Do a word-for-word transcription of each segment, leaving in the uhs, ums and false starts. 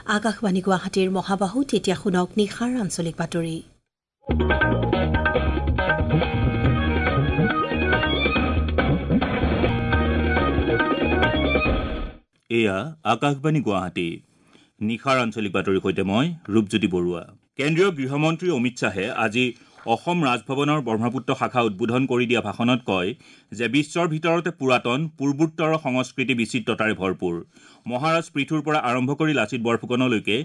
আকাশবাণী গুৱাহাটীৰ মহাবাহুত এতিয়া শুনক নিশাৰ আঞ্চলিক বাতৰি। এয়া আকাশবাণী গুৱাহাটী, নিশাৰ আঞ্চলিক বাতৰিৰ সৈতে মই ৰূপজ্যোতি বৰুৱা। কেন্দ্ৰীয় গৃহমন্ত্ৰী অমিত শ্বাহে আজি অসম ৰাজভৱনৰ ব্ৰহ্মপুত্ৰ শাখা উদ্বোধন কৰি দিয়া ভাষণত কয় যে বিশ্বৰ ভিতৰতে পুৰাতন পূৰ্বোত্তৰ সংস্কৃতি বিচিত্ৰতাৰে ভৰপূৰ। মহাৰাজ পৃথুৰ পৰা আৰম্ভ কৰি লাচিত বৰফুকনলৈকে,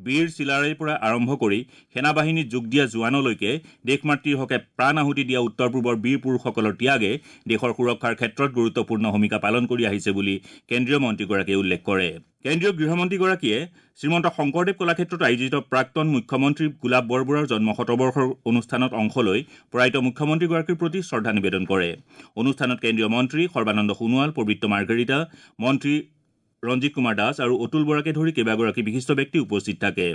বীৰ চিলাৰায়ৰ পৰা আৰম্ভ কৰি সেনাবাহিনীত যোগ দিয়া জোৱানলৈকে দেশমাতৃৰ হকে প্ৰাণ আহুতি দিয়া উত্তৰ পূবৰ বীৰ পুৰুষসকলৰ ত্যাগে দেশৰ সুৰক্ষাৰ ক্ষেত্ৰত গুৰুত্বপূৰ্ণ ভূমিকা পালন কৰি আহিছে বুলি কেন্দ্ৰীয় মন্ত্ৰীগৰাকীয়ে উল্লেখ কৰে। কেন্দ্ৰীয় গৃহমন্ত্ৰীগৰাকীয়ে শ্ৰীমন্ত শংকৰদেৱ কলাক্ষেত্ৰত আয়োজিত প্ৰাক্তন মুখ্যমন্ত্ৰী গোলাপ বৰবৰুৱাৰ জন্ম শতবৰ্ষৰ অনুষ্ঠানত অংশ লৈ প্ৰয়াত মুখ্যমন্ত্ৰীগৰাকীৰ প্ৰতি শ্ৰদ্ধা নিবেদন কৰে। অনুষ্ঠানত কেন্দ্ৰীয় মন্ত্ৰী সৰ্বানন্দ সোণোৱাল, পবিত্ৰ মাৰ্ঘেৰিটা, মন্ত্ৰী ৰঞ্জিত কুমাৰ দাস আৰু অতুল বৰাকে ধৰি কেইবাগৰাকী বিশিষ্ট ব্যক্তি উপস্থিত থাকে।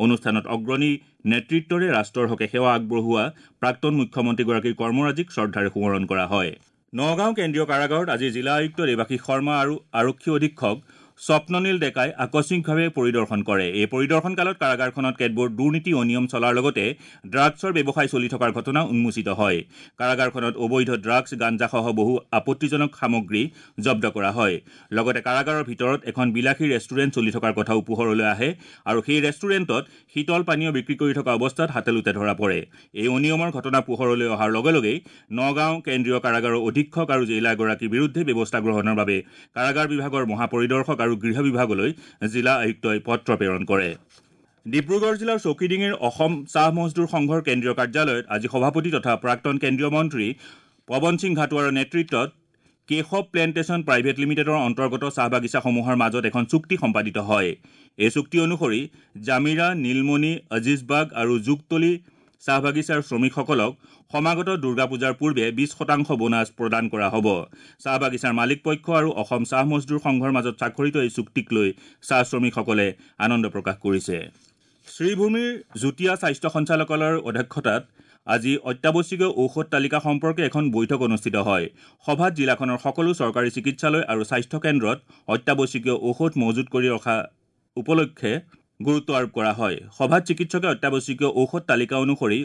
অনুষ্ঠানত অগ্ৰণী নেতৃত্বৰে ৰাষ্ট্ৰৰ হকে সেৱা আগবঢ়োৱা প্ৰাক্তন মুখ্যমন্ত্ৰীগৰাকীৰ কৰ্মৰাজিক শ্ৰদ্ধাৰে সোঁৱৰণ কৰা হয়। নগাঁও কেন্দ্ৰীয় কাৰাগাৰত আজি জিলা আয়ুক্ত দেৱাশীষ শৰ্মা আৰু আৰক্ষী অধীক্ষক স্বপ্ননীল ডেকাই আকস্মিকভাৱে পৰিদৰ্শন কৰে। এই পৰিদৰ্শন কালত কাৰাগাৰখনত কেতবোৰ দুৰ্নীতি অনিয়ম চলাৰ লগতে ড্ৰাগছৰ ব্যৱসায় চলি থকাৰ ঘটনা উন্মোচিত হয়। কাৰাগাৰখনত অবৈধ ড্ৰাগছ, গাঞ্জাসহ বহু আপত্তিজনক সামগ্ৰী জব্দ কৰা হয়। লগতে কাৰাগাৰৰ ভিতৰত এখন বিলাসী ৰেষ্টুৰেণ্ট চলি থকাৰ কথাও পোহৰলৈ আহে আৰু সেই ৰেষ্টুৰেণ্টত শীতল পানীয় বিক্ৰী কৰি থকা অৱস্থাত হাতে-লোটে ধৰা পৰে। এই অনিয়মৰ ঘটনা পোহৰলৈ অহাৰ লগে লগেই নগাঁও কেন্দ্ৰীয় কাৰাগাৰৰ অধীক্ষক আৰু জেইলাৰগৰাকীৰ বিৰুদ্ধে ব্যৱস্থা গ্ৰহণৰ বাবে কাৰাগাৰ বিভাগৰ মহাপৰিদৰ্শক আৰু গৃহ বিভাগলৈ জিলা আয়ুক্তই পত্ৰ প্ৰেৰণ কৰে। ডিব্ৰুগড় জিলাৰ চৌকিডিঙিৰ অসম চাহ মজদুৰ সংঘৰ কেন্দ্ৰীয় কাৰ্যালয়ত আজি সভাপতি তথা প্ৰাক্তন কেন্দ্ৰীয় মন্ত্ৰী পৱন সিং ঘাটোৱাৰৰ নেতৃত্বত কেশৱ প্লেণ্টেশ্যন প্ৰাইভেট লিমিটেডৰ অন্তৰ্গত চাহ বাগিচাসমূহৰ মাজত এখন চুক্তি সম্পাদিত হয়। এই চুক্তি অনুসৰি জামিৰা, নীলমণি, আজিজবাগ আৰু যুগতলী চাহ বাগিচাৰ শ্ৰমিকসকলক সমাগত দুৰ্গা পূজাৰ পূৰ্বে বিশ শতাংশ বোনাছ প্ৰদান কৰা হ'ব। চাহ বাগিচাৰ মালিক পক্ষ আৰু অসম চাহ মজদুৰ সংঘৰ মাজত স্বাক্ষৰিত এই চুক্তিক লৈ চাহ শ্ৰমিকসকলে আনন্দ প্ৰকাশ কৰিছে। শ্ৰীভূমিৰ যুটীয়া স্বাস্থ্য সঞ্চালকালয়ৰ অধ্যক্ষতাত আজি অত্যাৱশ্যকীয় ঔষধ তালিকা সম্পৰ্কে এখন বৈঠক অনুষ্ঠিত হয়। সভাত জিলাখনৰ সকলো চৰকাৰী চিকিৎসালয় আৰু স্বাস্থ্য কেন্দ্ৰত অত্যাৱশ্যকীয় ঔষধ মজুত কৰি ৰখা উপলক্ষে গুৰুত্ব আৰোপ কৰা হয়। সভাত চিকিৎসকে অত্যাৱশ্যকীয় ঔষধ তালিকা অনুসৰি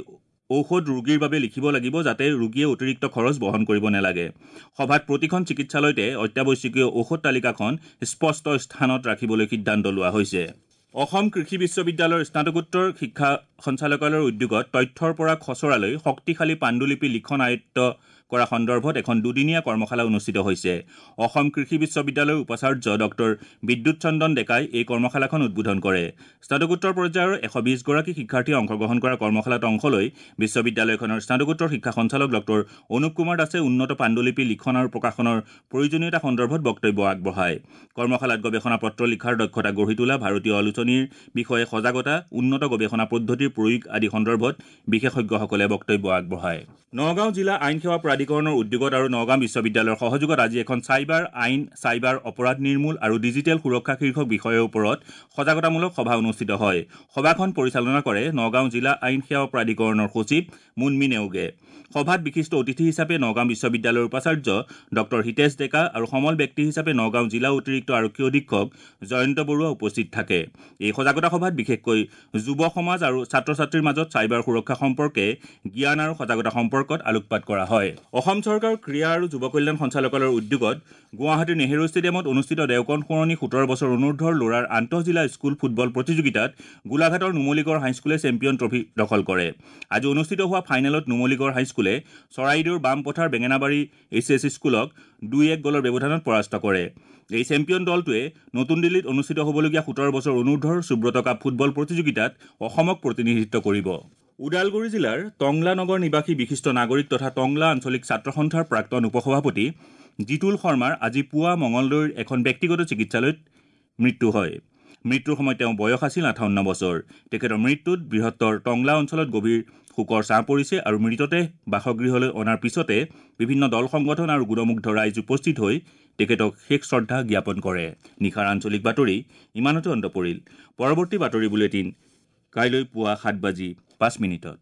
ঔষধ ৰোগীৰ বাবে লিখিব লাগিব, যাতে ৰোগীয়ে অতিৰিক্ত খৰচ বহন কৰিব নালাগে। সভাত প্ৰতিখন চিকিৎসালয়তে অত্যাৱশ্যকীয় ঔষধ তালিকাখন স্পষ্ট স্থানত ৰাখিবলৈ সিদ্ধান্ত লোৱা হৈছে। অসম কৃষি বিশ্ববিদ্যালয়ৰ স্নাতকোত্তৰ শিক্ষা সঞ্চালকালয়ৰ উদ্যোগত তথ্যৰ পৰা খচৰালৈ শক্তিশালী পাণ্ডুলিপি লিখন আয়ত্ব কৰা সন্দৰ্ভত এখন দুদিনীয়া কৰ্মশালা অনুষ্ঠিত হৈছে। অসম কৃষি বিশ্ববিদ্যালয়ৰ উপাচাৰ্য ডক্টৰ বিদ্যুৎ চন্দন ডেকাই এই কৰ্মশালাখন উদ্বোধন কৰে। স্নাতকোত্তৰ পৰ্যায়ৰ এশ বিশগৰাকী শিক্ষাৰ্থীয়ে অংশগ্ৰহণ কৰা কৰ্মশালাত অংশ লৈ বিশ্ববিদ্যালয়খনৰ স্নাতকোত্তৰ শিক্ষা সঞ্চালক ডক্টৰ অনুপ কুমাৰ দাসে উন্নত পাণ্ডুলিপি লিখন আৰু প্ৰকাশনৰ প্ৰয়োজনীয়তা সন্দৰ্ভত বক্তব্য আগবঢ়ায়। কৰ্মশালাত গৱেষণা পত্ৰ লিখাৰ দক্ষতা গঢ়ি তোলা, ভাৰতীয় আলোচনীৰ বিষয়ে সজাগতা, উন্নত গৱেষণা পদ্ধতিৰ প্ৰয়োগ আদি সন্দৰ্ভত বিশেষজ্ঞসকলে বক্তব্য আগবঢ়ায়। নগাঁও জিলা আইন সেৱা প্ৰাধিকৰণৰ উদ্যোগত আৰু নগাঁও বিশ্ববিদ্যালয়ৰ সহযোগত আজি এখন চাইবাৰ আইন, চাইবাৰ অপৰাধ নিৰ্মূল আৰু ডিজিটেল সুৰক্ষা শীৰ্ষক বিষয়ৰ ওপৰত সজাগতামূলক সভা অনুষ্ঠিত হয়। সভাখন পৰিচালনা কৰে নগাঁও জিলা আইন সেৱা প্ৰাধিকৰণৰ সচিব মুনমি নেওগে। সভাত বিশিষ্ট অতিথি হিচাপে নগাঁও বিশ্ববিদ্যালয়ৰ উপাচাৰ্য ডক্টৰ হিতেশ ডেকা আৰু সমল ব্যক্তি হিচাপে নগাঁও জিলা অতিৰিক্ত আৰক্ষী অধীক্ষক জয়ন্ত বৰুৱা উপস্থিত থাকে। এই সজাগতা সভাত বিশেষকৈ যুৱ সমাজ আৰু ছাত্ৰ ছাত্ৰীৰ মাজত চাইবাৰ সুৰক্ষা সম্পৰ্কে জ্ঞান আৰু সজাগতা সম্পৰ্কত আলোকপাত কৰা হয়। অসম চৰকাৰৰ ক্ৰীড়া আৰু যুৱ কল্যাণ সঞ্চালকালয়ৰ উদ্যোগত গুৱাহাটীৰ নেহেৰু ষ্টেডিয়ামত অনুষ্ঠিত দেওকণ সোঁৱৰণী সোতৰ বছৰ অনুৰ্ধৰ ল'ৰাৰ আন্তঃজিলা স্কুল ফুটবল প্ৰতিযোগিতাত গোলাঘাটৰ নুমলীগড় হাইস্কুলে চেম্পিয়ন ট্ৰফী দখল কৰে। আজি অনুষ্ঠিত হোৱা ফাইনেলত নুমলীগড় হাইস্কুলে চৰাইদেউৰ বামপথাৰ বেঙেনাবাৰী এইচ এছ স্কুলক দুই এক গ'লৰ ব্যৱধানত পৰাস্ত কৰে। এই চেম্পিয়ন দলটোৱে নতুন দিল্লীত অনুষ্ঠিত হ'বলগীয়া সোতৰ বছৰ অনুৰ্ধৰ সুব্ৰত কাপ ফুটবল প্ৰতিযোগিতাত অসমক প্ৰতিনিধিত্ব কৰিব। ওদালগুৰি জিলাৰ টংলা নগৰ নিবাসী বিশিষ্ট নাগৰিক তথা টংলা আঞ্চলিক ছাত্ৰ সন্থাৰ প্ৰাক্তন উপসভাপতি জিতুল শৰ্মাৰ আজি পুৱা মঙলদৈৰ এখন ব্যক্তিগত চিকিৎসালয়ত মৃত্যু হয়। মৃত্যুৰ সময়ত তেওঁ বয়স আছিল আঠাৱন্ন বছৰ। তেখেতৰ মৃত্যুত বৃহত্তৰ টংলা অঞ্চলত গভীৰ শোকৰ ছাঁ পৰিছে আৰু মৃতদেহ বাসগৃহলৈ অনাৰ পিছতে বিভিন্ন দল সংগঠন আৰু গুণমুগ্ধ ৰাইজ উপস্থিত হৈ তেখেতক শেষ শ্ৰদ্ধা জ্ঞাপন কৰে। নিশাৰ আঞ্চলিক বাতৰি ইমানতে অন্ত পৰিল। পৰৱৰ্তী বাতৰি বুলেটিন কাইলৈ পুৱা সাত বাজি পাঁচ মিনিটত।